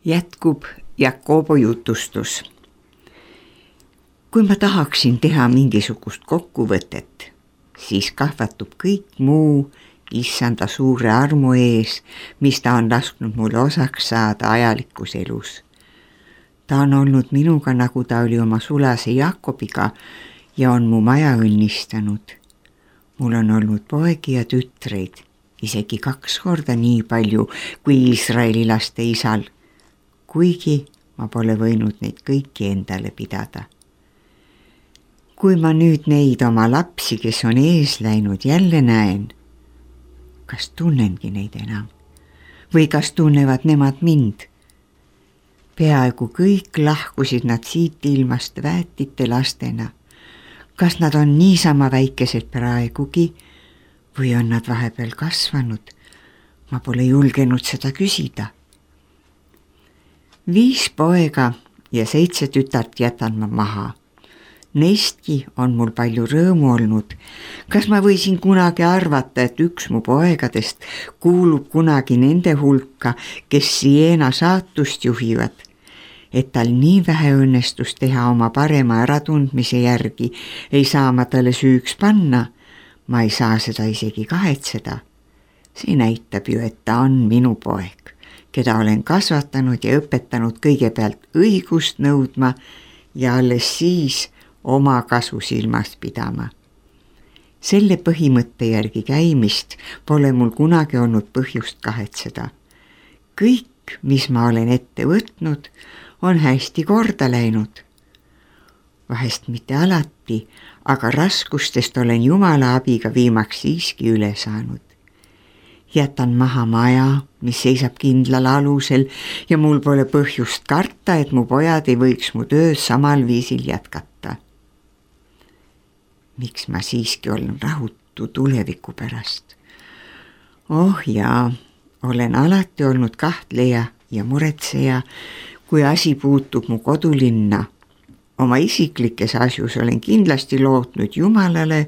Jätkub Jakobo jutustus. Kui ma tahaksin teha mingisugust kokkuvõtet, siis kahvatub kõik muu issanda suure armu ees, mis ta on lasknud mulle osaks saada ajalikus elus. Ta on olnud minuga, nagu ta oli oma sulase Jakobiga ja on mu maja õnnistanud. Mul on olnud poegi ja tütreid, isegi 2 korda nii palju kui Iisraeli laste isal, kuigi ma pole võinud neid kõiki endale pidada. Kui ma nüüd neid oma lapsi, kes on ees läinud, jälle näen, kas tunnengi neid enam? Või kas tunnevad nemad mind? Peaaegu kõik lahkusid nad siit ilmast väetite lastena. Kas nad on niisama väikesed praegugi või on nad vahepeal kasvanud? Ma pole julgenud seda küsida. 5 poega ja 7 tütart jätan ma maha. Neistki on mul palju rõõmu olnud. Kas ma võisin kunagi arvata, et üks mu poegadest kuulub kunagi nende hulka, kes Siena saatust juhivad, et tal nii vähe õnnestus teha oma parema äratundmise järgi, ei saa ma talle süüks panna. Ma ei saa seda isegi kahetseda. See näitab ju, et ta on minu poeg, keda olen kasvatanud ja õpetanud kõigepealt õigust nõudma ja alles siis oma kasu silmas pidama. Selle põhimõtte järgi käimist pole mul kunagi olnud põhjust kahetseda. Kõik, mis ma olen ette võtnud, on hästi korda läinud. Vahest mitte alati, aga raskustest olen Jumala abiga viimaks siiski üle saanud. Jätan maha maja, mis seisab kindlal alusel ja mul pole põhjust karta, et mu pojad ei võiks mu töös samal viisil jätkata. Miks ma siiski olen rahutu tuleviku pärast? Oh jaa, olen alati olnud kahtleja ja muretseja, kui asi puutub mu kodulinna. Oma isiklikes asjus olen kindlasti lootnud Jumalale,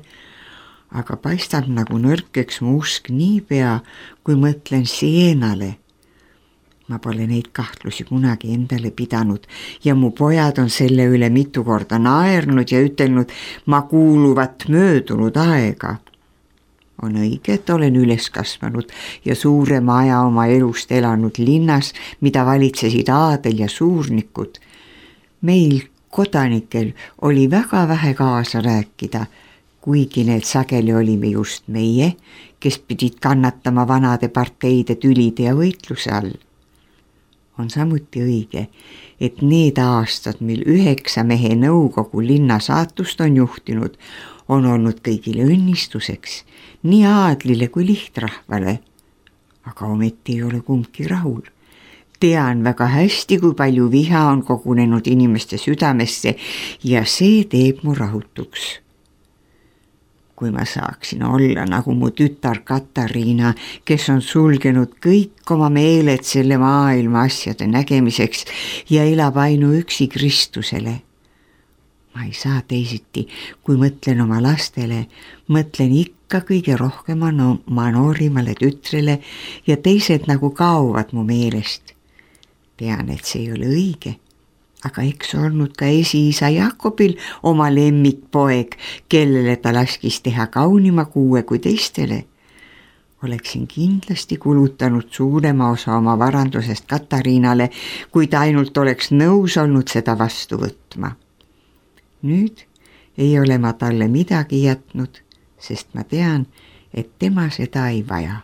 aga paistab nagu nõrkeks mu usk niipea, kui mõtlen Sienale. Ma pole neid kahtlusi kunagi endale pidanud ja mu pojad on selle üle mitu korda naernud ja ütelnud, ma kuuluvat möödunud aega. On õige, et olen üles kasvanud ja suurema aja oma elust elanud linnas, mida valitsesid aadel ja suurnikud. Meil kodanikel oli väga vähe kaasa rääkida, kuigi need sageli olime just meie, kes pidid kannatama vanade parteide tülide ja võitluse all. On samuti õige, et need aastad, mil 9 mehe nõukogu linna saatust on juhtinud, on olnud kõigile õnnistuseks, nii aadlile kui lihtrahvale. Aga ometi ei ole kumbki rahul. Tean väga hästi, kui palju viha on kogunenud inimeste südamesse ja see teeb mu rahutuks. Kui ma saaksin olla nagu mu tütar Katariina, kes on sulgenud kõik oma meeled selle maailma asjade nägemiseks ja elab ainuüksi Kristusele. Ma ei saa teisiti, kui mõtlen oma lastele, mõtlen ikka kõige rohkem oma noorimale tütrele ja teised nagu kaovad mu meelest. Tean, et see ei ole õige. Aga eks olnud ka esiisa Jakobil oma lemmikpoeg, kellele ta laskis teha kaunima kuue kui teistele. Oleksin kindlasti kulutanud suurema osa oma varandusest Katariinale, kui ta ainult oleks nõus olnud seda vastu võtma. Nüüd ei ole ma talle midagi jätnud, sest ma tean, et tema seda ei vaja.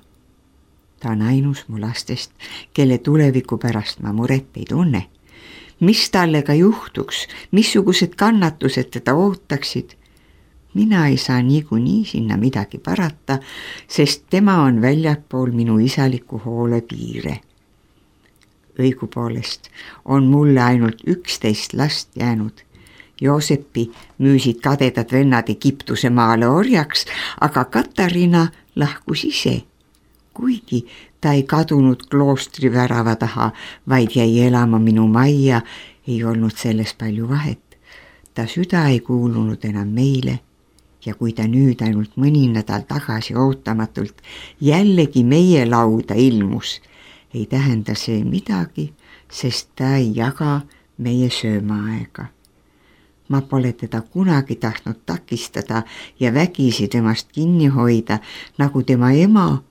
Ta on ainus mu lastest, kelle tuleviku pärast ma muret ei tunne. Mis talle ka juhtuks, missugused kannatused teda ootaksid? Mina ei saa niikuinii sinna midagi parata, sest tema on väljapool minu isaliku hoole piire. Õigupoolest on mulle ainult 11 last jäänud. Joosepi müüsid kadedad vennad Egiptuse maale orjaks, aga Katariina lahkus ise. Kuigi ta ei kadunud kloostri värava taha, vaid jäi elama minu majja, ei olnud selles palju vahet. Ta süda ei kuulunud enam meile ja kui ta nüüd ainult mõni nädal tagasi ootamatult jällegi meie lauda ilmus, ei tähenda see midagi, sest ta ei jaga meie söömaaega. Ma pole teda kunagi tahtnud takistada ja vägisi temast kinni hoida, nagu tema ema,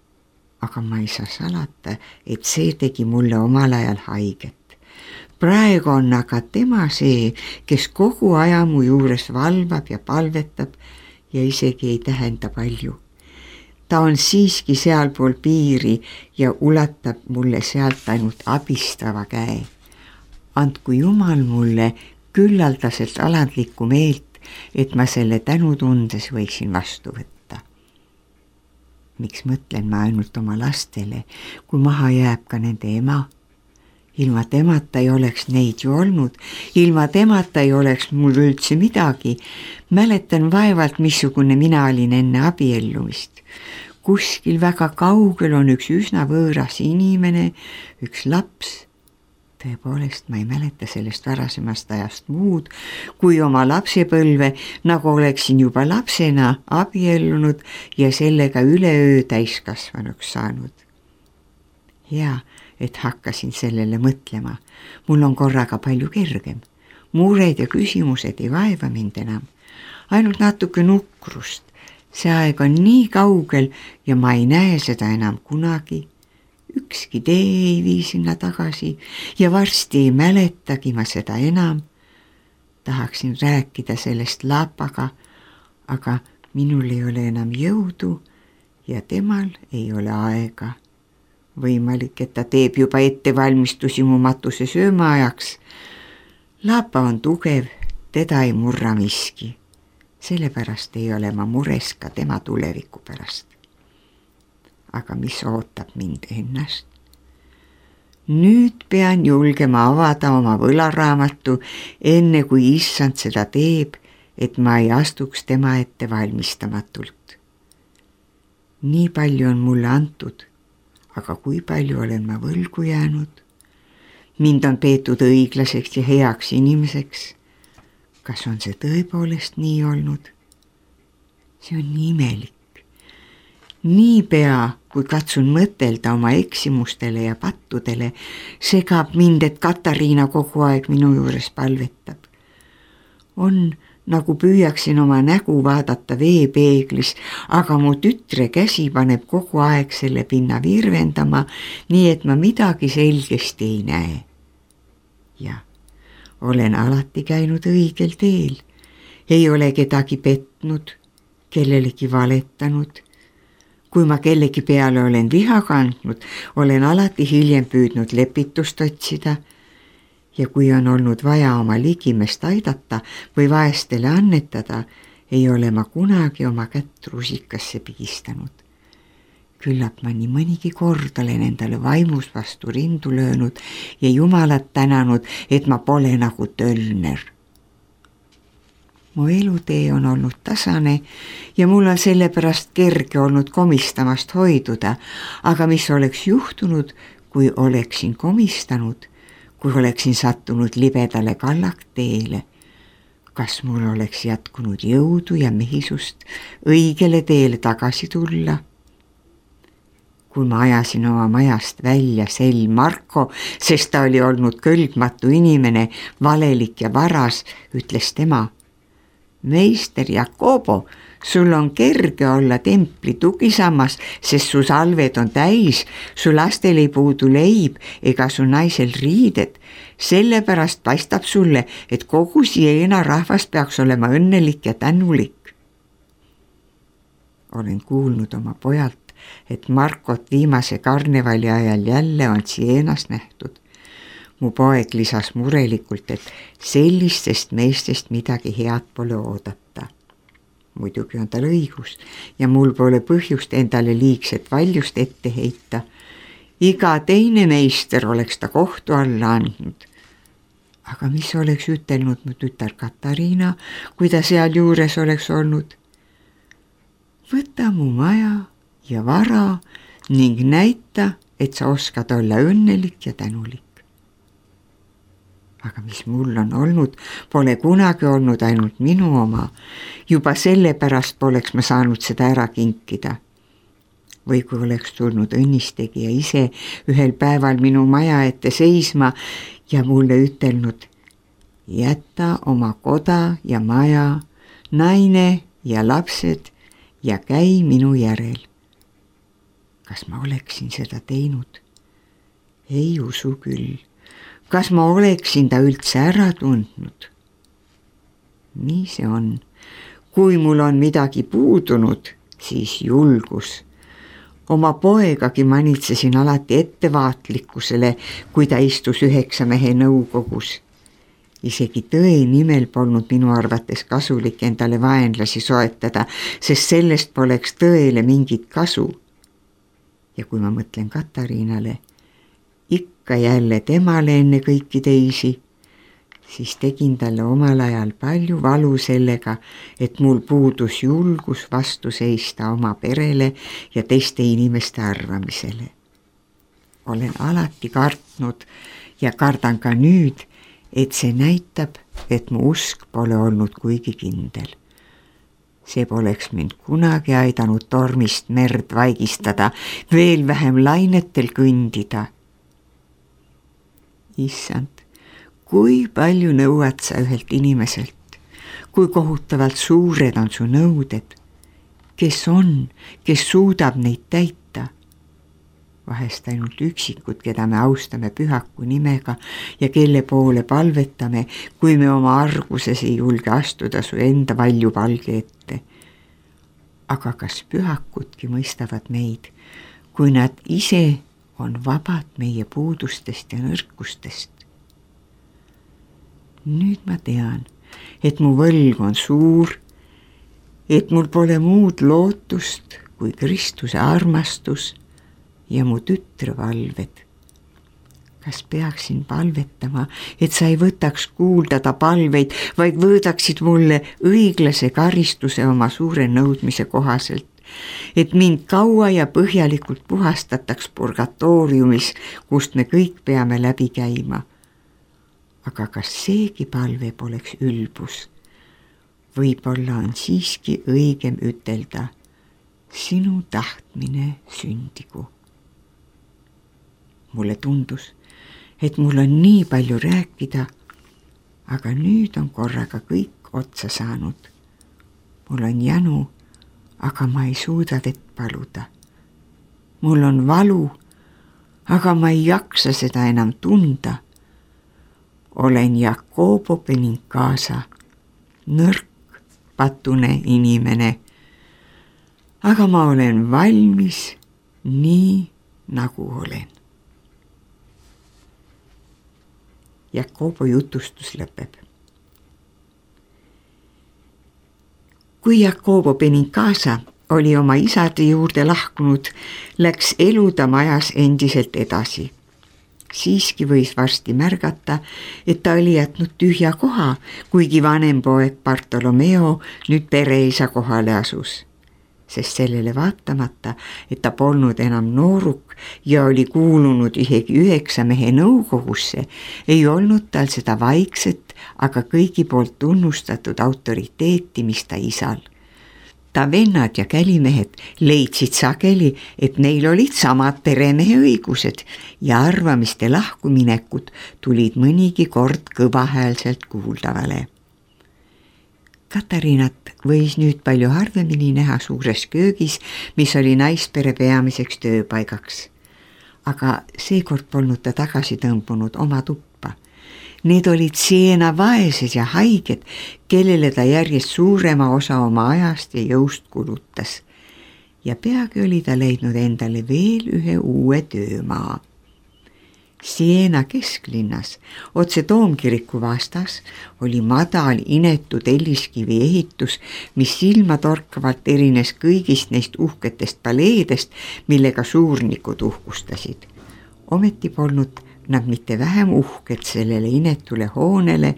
aga ma ei saa salata, et see tegi mulle omal ajal haiget. Praegu on aga tema see, kes kogu aja mu juures valvab ja palvetab ja isegi ei tähenda palju. Ta on siiski sealpool piiri ja ulatab mulle sealt ainult abistava käe. Andku Jumal mulle küllaldaselt alandlikku meelt, et ma selle tänutundes võiksin vastu võtta. Miks mõtlen ma ainult oma lastele, kui maha jääb ka nende ema? Ilma temata ei oleks neid ju olnud, ilma temata ei oleks mul üldse midagi. Mäletan vaevalt, missugune mina olin enne abiellumist. Kuskil väga kaugel on üks üsna võõras inimene, üks laps. Tõepoolest, ma ei mäleta sellest varasemast ajast muud, kui oma lapsepõlve, nagu oleksin juba lapsena abiellunud ja sellega üleöö täiskasvanuks saanud. Hea, et hakkasin sellele mõtlema. Mul on korraga palju kergem. Mured ja küsimused ei vaeva mind enam. Ainult natuke nukrust. See aeg on nii kaugel ja ma ei näe seda enam kunagi. Ükski tee ei vii sinna tagasi ja varsti ei mäletagi ma seda enam. Tahaksin rääkida sellest lapaga, aga minul ei ole enam jõudu ja temal ei ole aega. Võimalik, et ta teeb juba ettevalmistusi mu matuse söömaajaks. Lapa on tugev, teda ei murra miski. Sellepärast ei ole ma mures ka tema tuleviku pärast. Aga mis ootab mind ennast? Nüüd pean julgema avada oma võlaraamatu, enne kui issand seda teeb, et ma ei astuks tema ette valmistamatult. Nii palju on mulle antud. Aga kui palju olen ma võlgu jäänud? Mind on peetud õiglaseks ja heaks inimeseks. Kas on see tõepoolest nii olnud? See on nii imelik. Niipea, kui katsun mõtelda oma eksimustele ja pattudele, segab mind, et Katariina kogu aeg minu juures palvetab. On nagu püüaksin oma nägu vaadata veepeeglis, aga mu tütre käsi paneb kogu aeg selle pinna virvendama, nii et ma midagi selgesti ei näe. Ja olen alati käinud õigel teel. Ei ole kedagi petnud, kellelegi valetanud. Kui ma kellegi peale olen viha kandnud, olen alati hiljem püüdnud lepitust otsida. Ja kui on olnud vaja oma ligimest aidata või vaestele annetada, ei ole ma kunagi oma kätt rusikasse pigistanud. Küllap ma nii mõnigi kord olen endale vaimus vastu rindu löönud ja Jumalat tänanud, et ma pole nagu tölner. Mu elutee on olnud tasane ja mul on sellepärast kerge olnud komistamast hoiduda, aga mis oleks juhtunud, kui oleksin komistanud, kui oleksin sattunud libedale kallakteele? Kas mul oleks jätkunud jõudu ja mehisust õigele teele tagasi tulla? Kui ma ajasin oma majast välja sel Marko, sest ta oli olnud kõlbmatu inimene, valelik ja varas, ütles tema: Meister Jakobo, sul on kerge olla templi tugisammas, sest su salved on täis, su lastel ei puudu leib ega su naisel riided. Sellepärast paistab sulle, et kogu Siena rahvas peaks olema õnnelik ja tänulik. Olen kuulnud oma pojalt, et Markot viimase karnevali ajal jälle on Sienas nähtud. Mu poeg lisas murelikult, et sellistest meestest midagi head pole oodata. Muidugi on tal õigus ja mul pole põhjust endale liigset valjust ette heita. Iga teine meister oleks ta kohtu alla andnud. Aga mis oleks ütelnud mu tütar Katariina, kui ta seal juures oleks olnud? Võta mu maja ja vara ning näita, et sa oskad olla õnnelik ja tänulik. Aga mis mul on olnud, pole kunagi olnud ainult minu oma. Juba sellepärast poleks ma saanud seda ära kinkida. Või kui oleks tulnud õnnistegija ise ühel päeval minu maja ette seisma ja mulle ütelnud: jäta oma koda ja maja, naine ja lapsed ja käi minu järel. Kas ma oleksin seda teinud? Ei usu küll. Kas ma oleksin ta üldse ära tundnud? Nii see on. Kui mul on midagi puudunud, siis julgus. Oma poegagi manitsesin alati ettevaatlikkusele, kui ta istus 9 mehe nõukogus. Isegi tõe nimel polnud minu arvates kasulik endale vaenlasi soetada, sest sellest poleks tõele mingit kasu. Ja kui ma mõtlen Katariinale, ikka jälle temale enne kõiki teisi, siis tegin talle omal ajal palju valu sellega, et mul puudus julgus vastu seista oma perele ja teiste inimeste arvamisele. Olen alati kartnud ja kardan ka nüüd, et see näitab, et mu usk pole olnud kuigi kindel. See poleks mind kunagi aidanud tormist merd vaigistada, veel vähem lainetel kõndida. Issand, kui palju nõuad sa ühelt inimeselt, kui kohutavalt suured on su nõuded, kes suudab neid täita. Vahest ainult üksikud, keda me austame pühaku nimega ja kelle poole palvetame, kui me oma arguses ei julge astuda su enda valjupalge ette. Aga kas pühakudki mõistavad meid, kui nad ise on vabad meie puudustest ja nõrkustest? Nüüd ma tean, et mu võlg on suur, et mul pole muud lootust kui Kristuse armastus ja mu tütre valved. Kas peaksin palvetama, et sa ei võtaks kuulda ta palveid, vaid võõdaksid mulle õiglase karistuse oma suure nõudmise kohaselt, et mind kaua ja põhjalikult puhastataks purgatooriumis, kust me kõik peame läbi käima. Aga kas seegi palve poleks ülbus? Võib-olla on siiski õigem ütelda: sinu tahtmine sündigu. Mulle tundus, et mul on nii palju rääkida, aga nüüd on korraga kõik otsa saanud. Mul on janu, aga ma ei suuda vett paluda. Mul on valu, aga ma ei jaksa seda enam tunda. Olen Jakobo Benincasa, nõrk, patune inimene, aga ma olen valmis nii, nagu olen. Jakobo jutustus lõpeb. Kui Jakobo Benincasa oli oma isade juurde lahkunud, läks elu ta majas endiselt edasi. Siiski võis varsti märgata, et ta oli jätnud tühja koha, kuigi vanem poeg Bartolomeo nüüd pereisa kohale asus. Sest sellele vaatamata, et ta polnud enam nooruk ja oli kuulunud isegi 9 mehe nõukogusse, ei olnud tal seda vaikset, aga kõigi poolt tunnustatud autoriteeti, mis ta isal. Ta vennad ja kälimehed leidsid sageli, et neil olid samad peremehe õigused ja arvamiste lahkuminekud tulid mõnigi kord kõvahäälselt kuuldavale. Katariinat võis nüüd palju harvemini näha suures köögis, mis oli naispere peamiseks tööpaigaks. Aga seekord polnud ta tagasi tõmbunud oma tuppa. Need olid Siena vaesed ja haiged, kellele ta järjest suurema osa oma ajast ja jõust kulutas. Ja peagi oli ta leidnud endale veel ühe uue töömaa. Siena kesklinnas, otse Toomkiriku vastas, oli madal inetu telliskivi ehitus, mis silmatorkavalt erines kõigist neist uhketest paleedest, millega suurnikud uhkustasid. Ometi polnud nad mitte vähem uhked sellele inetule hoonele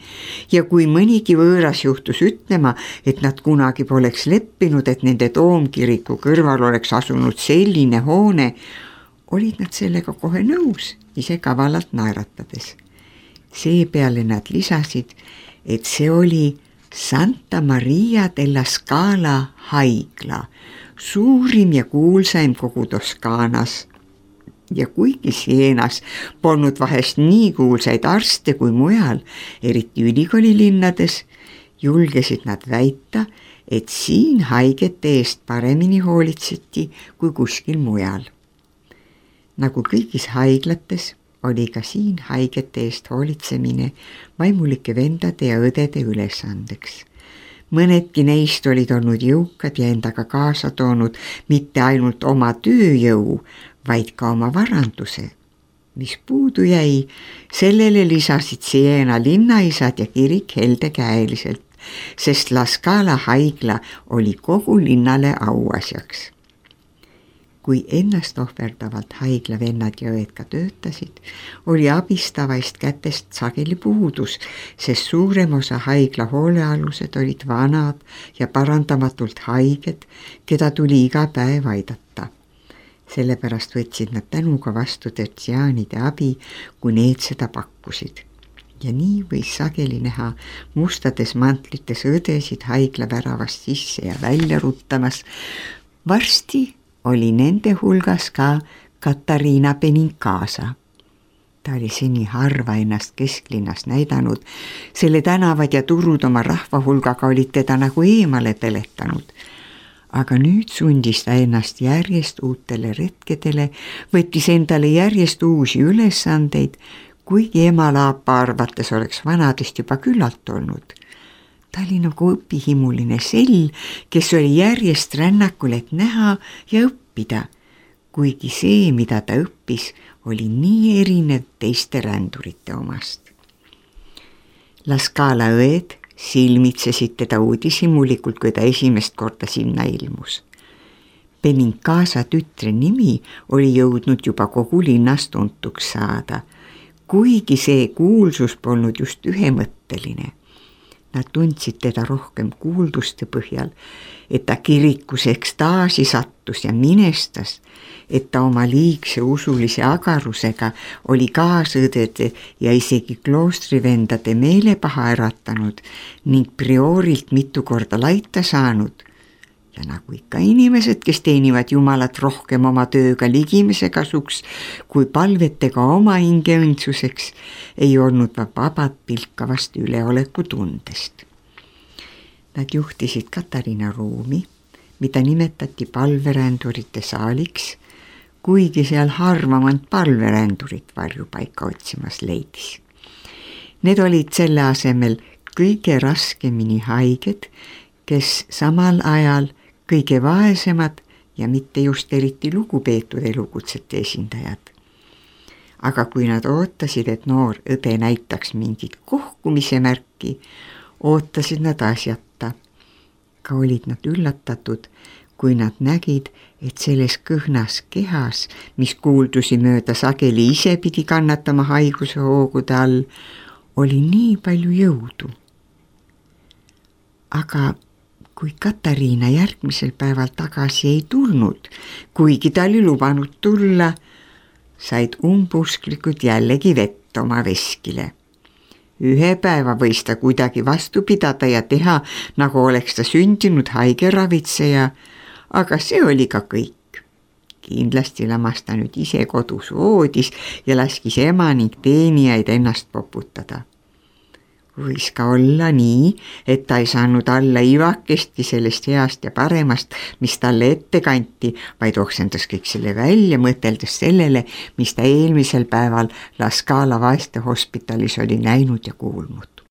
ja kui mõnigi võõras juhtus ütlema, et nad kunagi poleks leppinud, et nende Toomkiriku kõrval oleks asunud selline hoone, olid nad sellega kohe nõus, ise kavalalt naeratades. Seepeale nad lisasid, et see oli Santa Maria della Scala haigla, suurim ja kuulsaim kogu Toskaanas Ja kuigi Sienas polnud vahest nii kuulsaid arste kui mujal, eriti ülikoolilinnades, julgesid nad väita, et siin haigete eest paremini hoolitseti kui kuskil mujal. Nagu kõigis haiglates oli ka siin haigete eest hoolitsemine vaimulike vendade ja õdede ülesandeks. Mõnedki neist olid olnud jõukad ja endaga kaasa toonud mitte ainult oma tööjõu, vaid ka oma varanduse. Mis puudu jäi, sellele lisasid Siena linnaisad ja kirik heldekäeliselt, sest La Scala haigla oli kogu linnale auasjaks. Kui ennast ohverdavalt haiglavennad ja õed ka töötasid, oli abistavaist kätest sageli puudus, sest suurem osa haigla hoolealused olid vanad ja parandamatult haiged, keda tuli iga päev aidata. Sellepärast võtsid nad tänuga vastu tertsiaanide abi, kui need seda pakkusid. Ja nii võis sageli näha mustades mantlites õdesid haigla väravast sisse ja välja ruttamas. Varsti oli nende hulgas ka Katariina Benincasa. Ta oli seni harva ennast kesklinnas näidanud, selle tänavad ja turud oma rahva hulgaga olid teda nagu eemale peletanud. Aga nüüd sundis ta ennast järjest uutele retkedele, võttis endale järjest uusi ülesandeid, kuigi emalaapa arvates oleks vanadest juba küllalt olnud. Ta oli nagu õpihimuline sell, kes oli järjest rännakul, et näha ja õppida, kuigi see, mida ta õppis, oli nii erinev teiste rändurite omast. La Scala õed silmitsesid teda uudishimulikult, kui ta esimest korda sinna ilmus. Benincasa tütre nimi oli jõudnud juba kogu linnas tuntuks saada, kuigi see kuulsus polnud just ühemõtteline. Nad tundsid teda rohkem kuulduste põhjal, et ta kirikus ekstaasi sattus ja minestas, et ta oma liigse usulise agarusega oli kaasõdede ja isegi kloostrivendade meelepaha äratanud ning priorilt mitu korda laita saanud. Ja nagu ikka inimesed, kes teenivad Jumalat rohkem oma tööga ligimise kasuks kui palvetega oma hinge õndsuseks, ei olnud vabad pilkavast üleoleku tundest. Nad juhtisid Katariina ruumi, mida nimetati palverändurite saaliks, kuigi seal harvamalt palverändurit varjupaika otsimas leidis. Need olid selle asemel kõige raskemini haiged, kes samal ajal kõige vaesemad ja mitte just eriti lugupeetud elukutsete esindajad. Aga kui nad ootasid, et noor õde näitaks mingit kohkumise märki, ootasid nad asjata. Ka olid nad üllatatud, kui nad nägid, et selles kõhnas kehas, mis kuuldusi mööda sageli ise pidi kannatama haiguse hoogude all, oli nii palju jõudu. Aga kui Katariina järgmisel päeval tagasi ei tulnud, kuigi ta oli lubanud tulla, said umbusklikud jällegi vett oma veskile. Ühe päeva võis ta kuidagi vastu pidada ja teha, nagu oleks ta sündinud haigeravitseja, aga see oli ka kõik. Kindlasti lamas ta nüüd ise kodus voodis ja laskis ema ning teenijaid ennast poputada. Võis ka olla nii, et ta ei saanud alla ivakestki sellest heast ja paremast, mis talle ette kanti, vaid oksendas kõik selle välja, mõteldes sellele, mis ta eelmisel päeval La Scala vaeste hospitalis oli näinud ja kuulnud.